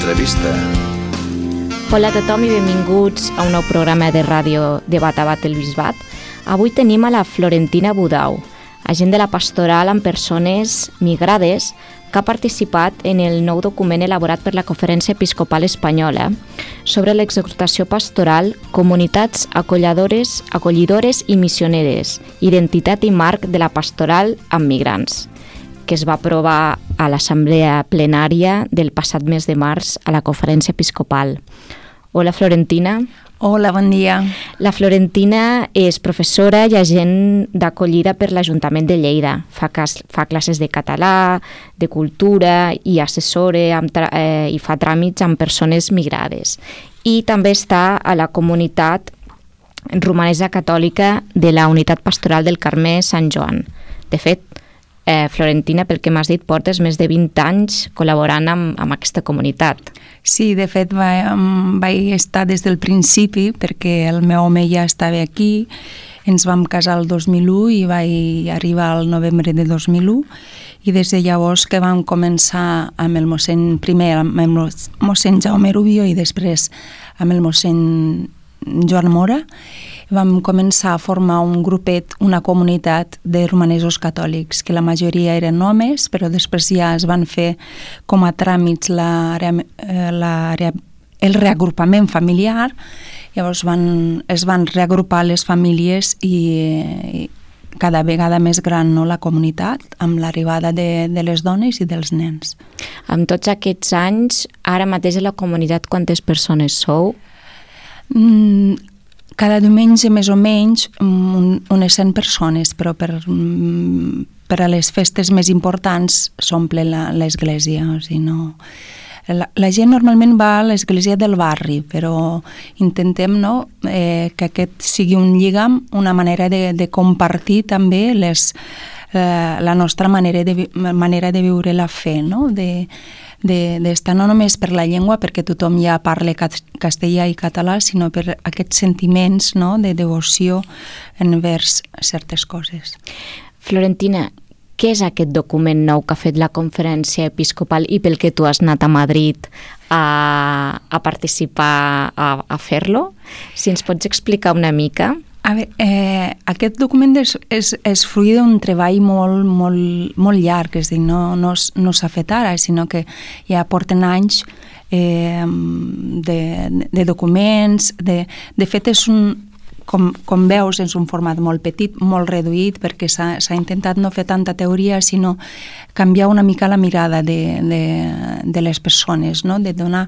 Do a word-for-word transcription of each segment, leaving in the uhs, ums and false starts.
Entrevista. Hola a tothom i benvinguts a un nou programa de ràdio de Batabat el Bisbat. Avui tenim a la Florentina Budau, agent de la pastoral amb persones migrades, que ha participat en el nou document elaborat per la Conferència Episcopal Espanyola sobre l'exhortació pastoral, comunitats acolladores, acollidores i missioneres, identitat i marc de la pastoral amb migrants, que es va aprovar a l'Assemblea Plenària del passat mes de març a la Conferència Episcopal. Hola, Florentina. Hola, bon dia. La Florentina és professora i agent d'acollida per l'Ajuntament de Lleida. Fa, cas, fa classes de català, de cultura i assessora amb tra- eh, i fa tràmits amb persones migrades. I també està a la comunitat romanesa catòlica de la Unitat Pastoral del Carme Sant Joan. De fet, eh, Florentina, pel que m'has dit, portes més de vint anys col·laborant amb, amb aquesta comunitat. Sí, de fet va, vaig estar des del principi perquè el meu home ja estava aquí, ens vam casar el dos mil u i vaig arribar al novembre de dos mil u i des de llavors que vam començar amb el mossèn, primer amb el mossèn Jaume Rubio i després amb el mossèn Joan Mora, vam començar a formar un grupet, una comunitat de romanesos catòlics, que la majoria eren homes, però després ja es van fer com a tràmits l'àrea, l'àrea, el reagrupament familiar, llavors van, es van reagrupar les famílies i, i cada vegada més gran, no, la comunitat, amb l'arribada de, de les dones i dels nens. Amb tots aquests anys, ara mateix a la comunitat quantes persones sou? Mm, cada diumenge més o menys un, unes cent persones, però per, per a les festes més importants s'omple l'església. O sigui, no... la, la gent normalment va a l'església del barri, però intentem, no, eh, que aquest sigui un lligam, una manera de, de compartir també les, eh, la nostra manera de, manera de viure la fe, no? de d'estar no només per la llengua, perquè tothom ja parla castellà i català, sinó per aquests sentiments, no, de devoció envers certes coses. Florentina, què és aquest document nou que ha fet la Conferència Episcopal i pel que tu has anat a Madrid a, a participar, a, a fer-lo? Si ens pots explicar una mica... A veure, eh, aquest document és, és, és fruit d'un treball molt, molt, molt llarg, és a dir, no, no, no s'ha fet ara, sinó que ja porten anys eh, de, de documents, de, de fet és un, com, com veus, és un format molt petit, molt reduït, perquè s'ha, s'ha intentat no fer tanta teoria, sinó canviar una mica la mirada de, de, de les persones, no? De donar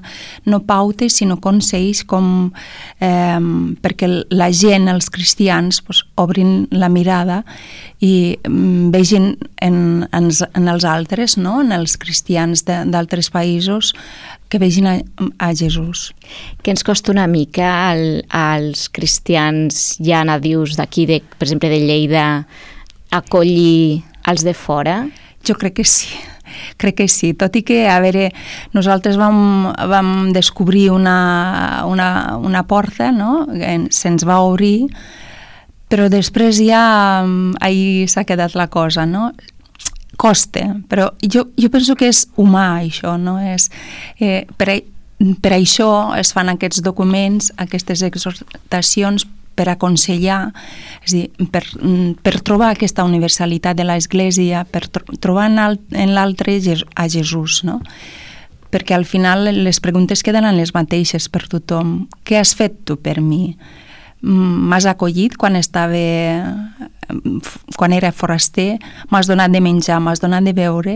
no pautes, sinó consells com eh, perquè la gent, els cristians, pues, obrin la mirada i mm, vegin en, en, en els altres, no? En els cristians de, d'altres països, que vegin a, a Jesús. Què ens costa una mica al, als cristians ja nadius d'aquí, de, per exemple de Lleida, acollir els de fora? Jo crec que sí, crec que sí, tot i que, a veure, nosaltres vam, vam descobrir una, una, una porta, no?, se'ns va obrir, però després ja ahí s'ha quedat la cosa, no?, costa, però jo, jo penso que és humà això, no? És, eh, per, per això es fan aquests documents, aquestes exhortacions per aconsellar, és a dir, per, per trobar aquesta universalitat de l'Església, per tro- trobar en l'altre a Jesús, no? Perquè al final les preguntes queden les mateixes per tothom. Què has fet tu per mi? M'has acollit quan estava, quan era foraster, m'has donat de menjar, m'has donat de beure,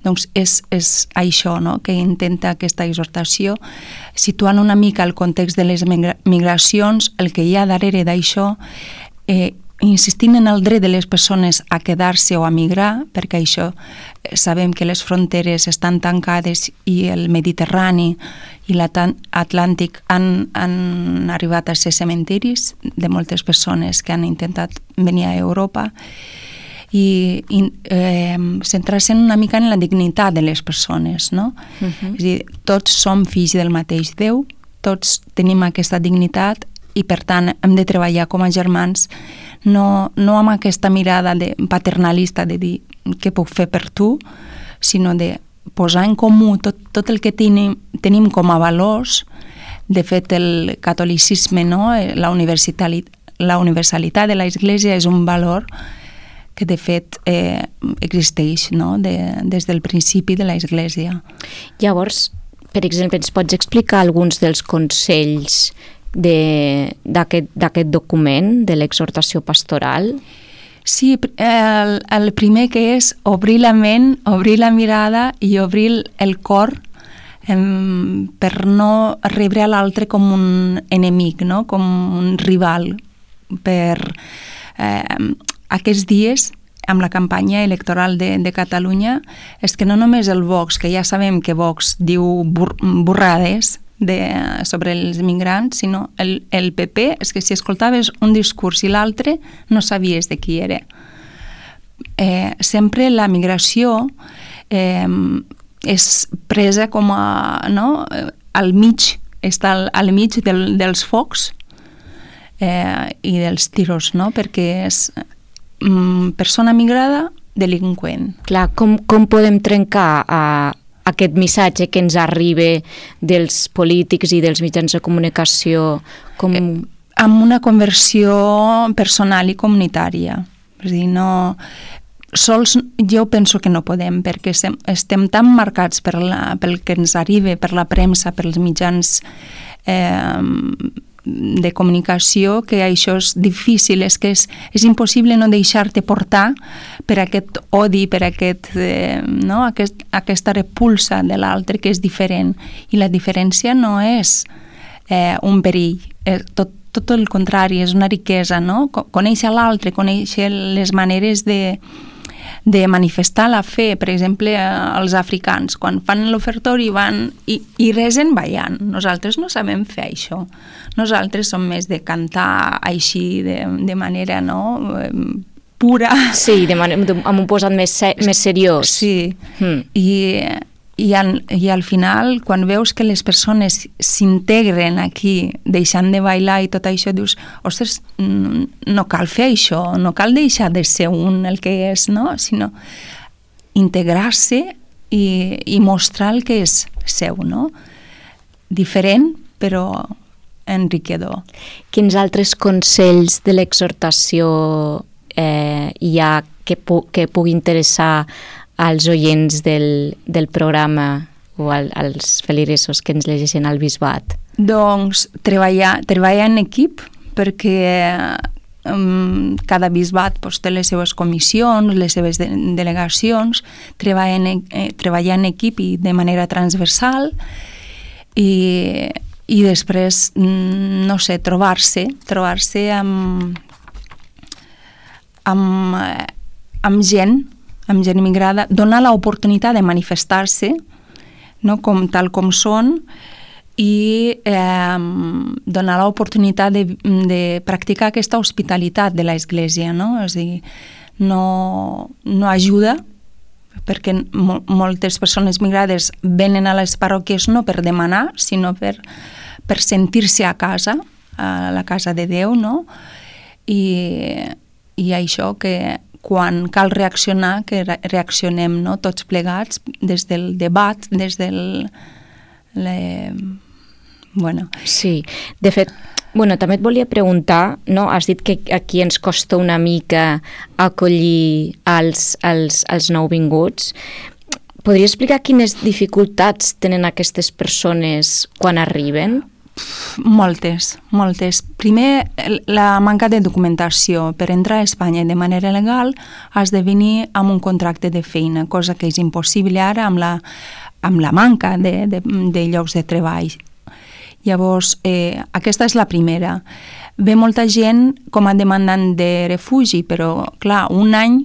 doncs és, és això, no?, que intenta aquesta exhortació, situant una mica el context de les migracions, el que hi ha darrere d'això, eh, insistint en el dret de les persones a quedar-se o a migrar, perquè això sabem que les fronteres estan tancades i el Mediterrani i l'Atlàntic han, han arribat a ser cementiris de moltes persones que han intentat venir a Europa i, i eh, centrar-se una mica en la dignitat de les persones, no? Uh-huh. És a dir, tots som fills del mateix Déu, tots tenim aquesta dignitat i per tant hem de treballar com a germans, no, no amb aquesta mirada de paternalista de dir què puc fer per tu, sinó de posar en comú tot, tot el que tenim, tenim com a valors. De fet, el catolicisme, no? la, universalitat, la universalitat de l'Església és un valor que de fet eh, existeix, no? de, des del principi de l'Església. Llavors, per exemple, ens pots explicar alguns dels consells d'aquest document, de l'exhortació pastoral? Sí, el, el primer que és obrir la ment, obrir la mirada i obrir el cor em, per no rebre a l'altre com un enemic, no? Com un rival. Per eh, aquests dies, amb la campanya electoral de, de Catalunya, és que no només el Vox, que ja sabem que Vox diu bur burrades, De, sobre els migrants, sinó el, el P P, és que si escoltaves un discurs i l'altre no sabies de qui era. Eh, sempre la migració eh, és presa com a, no? al mig, està al, al mig del, dels focs eh, i dels tiros, no? Perquè és mm, persona migrada, delinqüent. Clar, com, com podem trencar a aquest missatge que ens arriba dels polítics i dels mitjans de comunicació? Com... Eh, amb una conversió personal i comunitària. És a dir, no... Sols jo penso que no podem, perquè estem tan marcats per la, pel que ens arriba, per la premsa, pels mitjans eh, de comunicació, que això és difícil, és que és, és impossible no deixar-te portar per aquest odi, per aquest, eh, no? aquest, aquesta repulsa de l'altre que és diferent. I la diferència no és eh, un perill, és tot, tot el contrari, és una riquesa, no? Conèixer l'altre, conèixer les maneres de, de manifestar la fe. Per exemple, els africans, quan fan l'ofertori van i, i resen ballant. Nosaltres no sabem fer això. Nosaltres som més de cantar així, de, de manera, no?, pura. Sí, de man- amb un posat més, se- més seriós. Sí, mm. I, i, al, i al final, quan veus que les persones s'integren aquí, deixant de bailar i tot això, dius, ostres, no cal fer això, no cal deixar de ser un el que és, no? Sinó integrar-se i, i mostrar el que és seu, no? Diferent, però enriquidor. Quins altres consells de l'exhortació eh, hi ha que, pu que pugui interessar als oients del, del programa o al, als feligresos que ens llegeixen al bisbat? Doncs treballar, treballar en equip, perquè um, cada bisbat pues, té les seves comissions, les seves de delegacions, treballar en, eh, treballar en equip i de manera transversal i, i després, no sé, trobar-se, trobar-se amb, amb, amb gent, amb gent immigrada, donar l'oportunitat de manifestar-se, no? Com, tal com són, i eh, donar l'oportunitat de, de practicar aquesta hospitalitat de l'Església, no? És a dir, no, no ajuda, perquè mo moltes persones migrades venen a les parròquies no per demanar, sinó per, per sentir-se a casa, a la casa de Déu, no? I, i això que quan cal reaccionar, que reaccionem, no? Tots plegats, des del debat, des del... Le... Bueno. Sí, de fet, bueno, també et volia preguntar, no? Has dit que aquí ens costa una mica acollir els, els, els nouvinguts. Podria explicar quines dificultats tenen aquestes persones quan arriben? Moltes, moltes. Primer, la manca de documentació. Per entrar a Espanya de manera legal has de venir amb un contracte de feina, cosa que és impossible ara amb la, amb la manca de, de, de llocs de treball. Llavors, eh, aquesta és la primera. Ve molta gent com a demandant de refugi, però, clar, un any,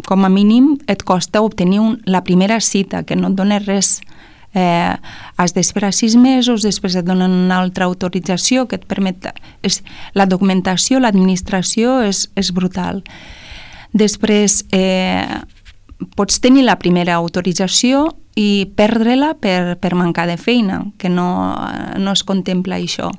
com a mínim, et costa obtenir un, la primera cita, que no et dona res. Eh, has d'esperar sis mesos, després et donen una altra autorització que et permet... És, la documentació, l'administració és, és brutal. Després, eh, pots tenir la primera autorització i perdre-la per, per mancar de feina, que no, no es contempla això.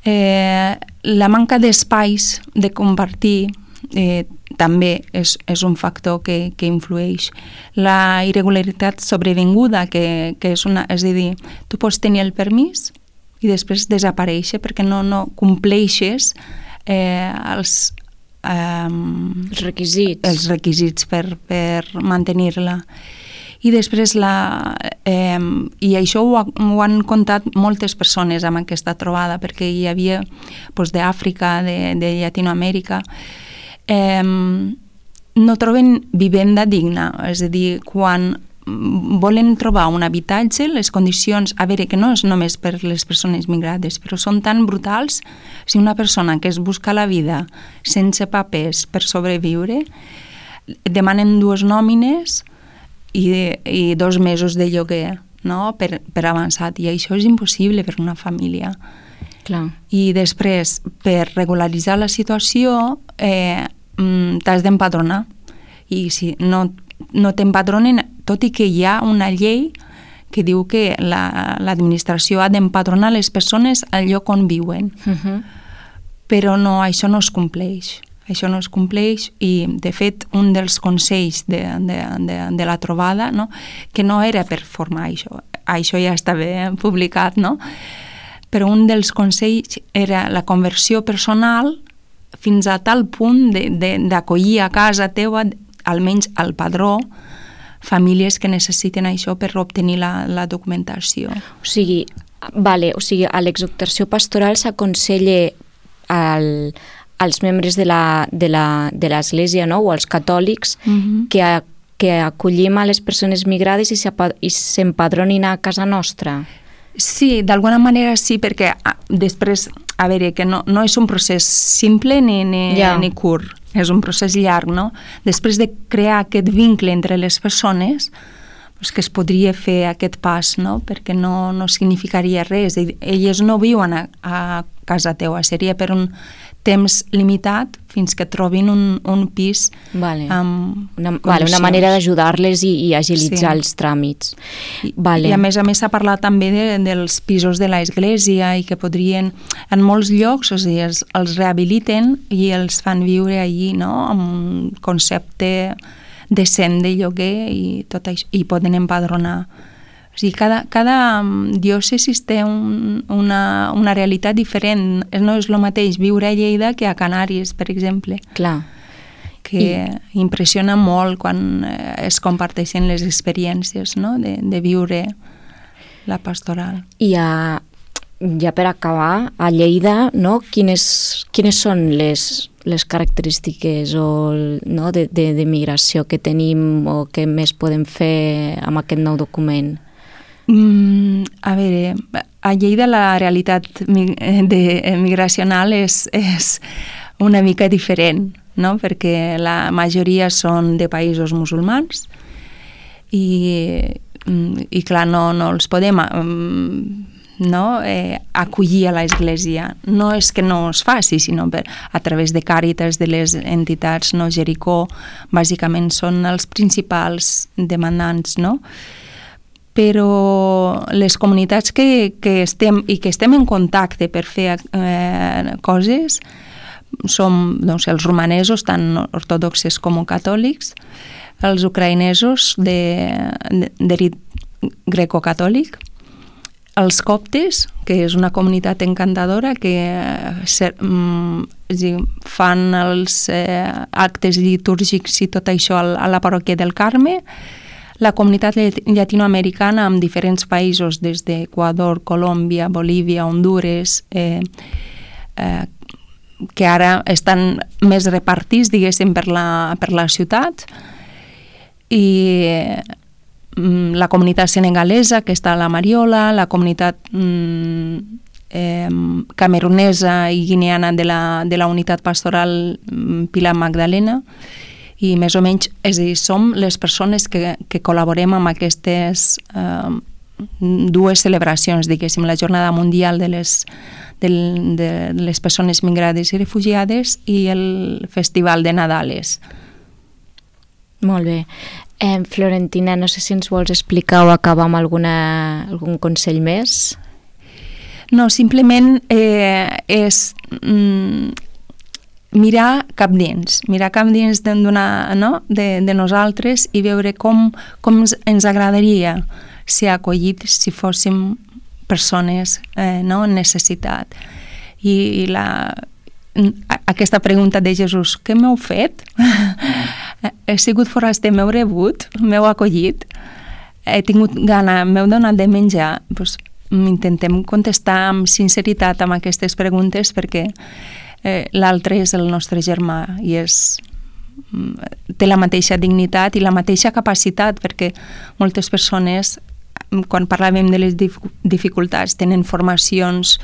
Eh, la manca d'espais de compartir, eh, també és, és un factor que, que influeix. La irregularitat sobrevinguda, que, que és una... És a dir, tu pots tenir el permís i després desaparèixer perquè no, no compleixes eh, els, eh, els requisits, els requisits per, per mantenir-la. I després la... Eh, I això ho, ha, ho han contat moltes persones amb aquesta trobada, perquè hi havia doncs, d'Àfrica, de, de Llatinoamèrica, eh, no troben vivenda digna, és a dir, quan volen trobar un habitatge, les condicions, a veure, que no és només per les persones migrades, però són tan brutals. Si una persona que es busca la vida sense papers per sobreviure, demanen dues nòmines i, i dos mesos de lloguer, no? per, per avançat, i això és impossible per una família. Clar. I després, per regularitzar la situació, eh, t'has d'empadronar, i si no, no t'empadronen, tot i que hi ha una llei que diu que la, l'administració ha d'empadronar les persones al lloc on viuen. Uh-huh. Però no, això no es compleix. Això no es compleix i, de fet, un dels consells de, de, de, de la trobada, no? Que no era per formar això, això ja estava publicat, no? Però un dels consells era la conversió personal fins a tal punt de, de, d'acollir a casa teua, almenys al padró, famílies que necessiten això per obtenir la, la documentació. O sigui, vale, o sigui, a l'exhortació pastoral s'aconsella al, als membres de la, de la, de l'Església, no? O als catòlics, uh-huh. que, a, que acollim a les persones migrades i, i s'empadronin a casa nostra. Sí, d'alguna manera sí, perquè a, després, a veure, que no, no és un procés simple ni, ni, ja. ni curt, és un procés llarg, no? Després de crear aquest vincle entre les persones, doncs que es podria fer aquest pas, no? Perquè no, no significaria res. Elles no viuen a, a casa teua, seria per un temps limitat fins que trobin un, un pis vale. amb una, vale, una manera d'ajudar-les i, i agilitzar sí. els tràmits. I, vale. I a més a més s'ha parlat també de, dels pisos de l'església i que podrien, en molts llocs, o sigui, els, els rehabiliten i els fan viure allí, no?, amb un concepte decent de lloguer i tot això, i poden empadronar. O sigui, cada, cada diòcesi té un, una, una realitat diferent. No és el mateix viure a Lleida que a Canàries, per exemple. Clar. Que I... impressiona molt quan es comparteixen les experiències, no?, de, de viure la pastoral. I a, ja per acabar, a Lleida, no?, quines, quines són les, les característiques o, no, de, de, de migració que tenim o que més podem fer amb aquest nou document? Mm, a veure, a Lleida la realitat de, migracional és, és una mica diferent, no?, perquè la majoria són de països musulmans i, i clar, no, no els podem no, eh, acollir a l'església. No és que no es faci, sinó per, a través de Càritas, de les entitats, no? Jericó, bàsicament són els principals demandants, no?, però les comunitats que, que estem i que estem en contacte per fer eh, coses som doncs, els romanesos, tant ortodoxes com catòlics, els ucraïnesos de, de, de rit greco-catòlic, els coptes, que és una comunitat encantadora que ser, mm, fan els eh, actes litúrgics i tot això a la parròquia del Carme, la comunitat llatinoamericana amb diferents països, des d'Equador, Colòmbia, Bolívia, Hondures, eh, eh, que ara estan més repartits, diguéssim, per la, per la ciutat, i eh, la comunitat senegalesa, que està a la Mariola, la comunitat mm, eh, camerunesa i guineana de la, de la unitat pastoral Pilar Magdalena, i més o menys, és a dir, som les persones que, que col·laborem amb aquestes eh, dues celebracions, diguéssim, la Jornada Mundial de les, de, de les persones migrades i refugiades i el Festival de Nadales. Molt bé. Eh, Florentina, no sé si ens vols explicar o acabar amb alguna, algun consell més? No, simplement eh, és... Mm, mirar cap dins, mirar cap dins d'una, no? de, de nosaltres i veure com, com ens agradaria ser acollits si fóssim persones eh, no? en necessitat. I, i la, aquesta pregunta de Jesús, què m'heu fet? He sigut foraster, m'heu rebut, m'heu acollit, he tingut gana, m'heu donat de menjar, doncs intentem contestar amb sinceritat amb aquestes preguntes perquè eh, l'altre és el nostre germà i és, té la mateixa dignitat i la mateixa capacitat, perquè moltes persones, quan parlàvem de les dificultats, tenen formacions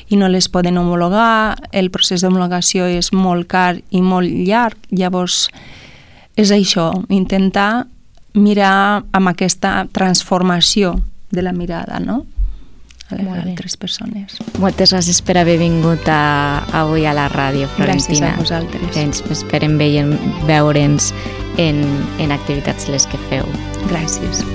i no les poden homologar, el procés d'homologació és molt car i molt llarg, llavors és això, intentar mirar amb aquesta transformació de la mirada, no? A les altres persones. Moltes gràcies per haver vingut a, avui a la ràdio, Florentina. Gràcies a vosaltres. Ens esperem veure'ns en, en activitats les que feu. Gràcies.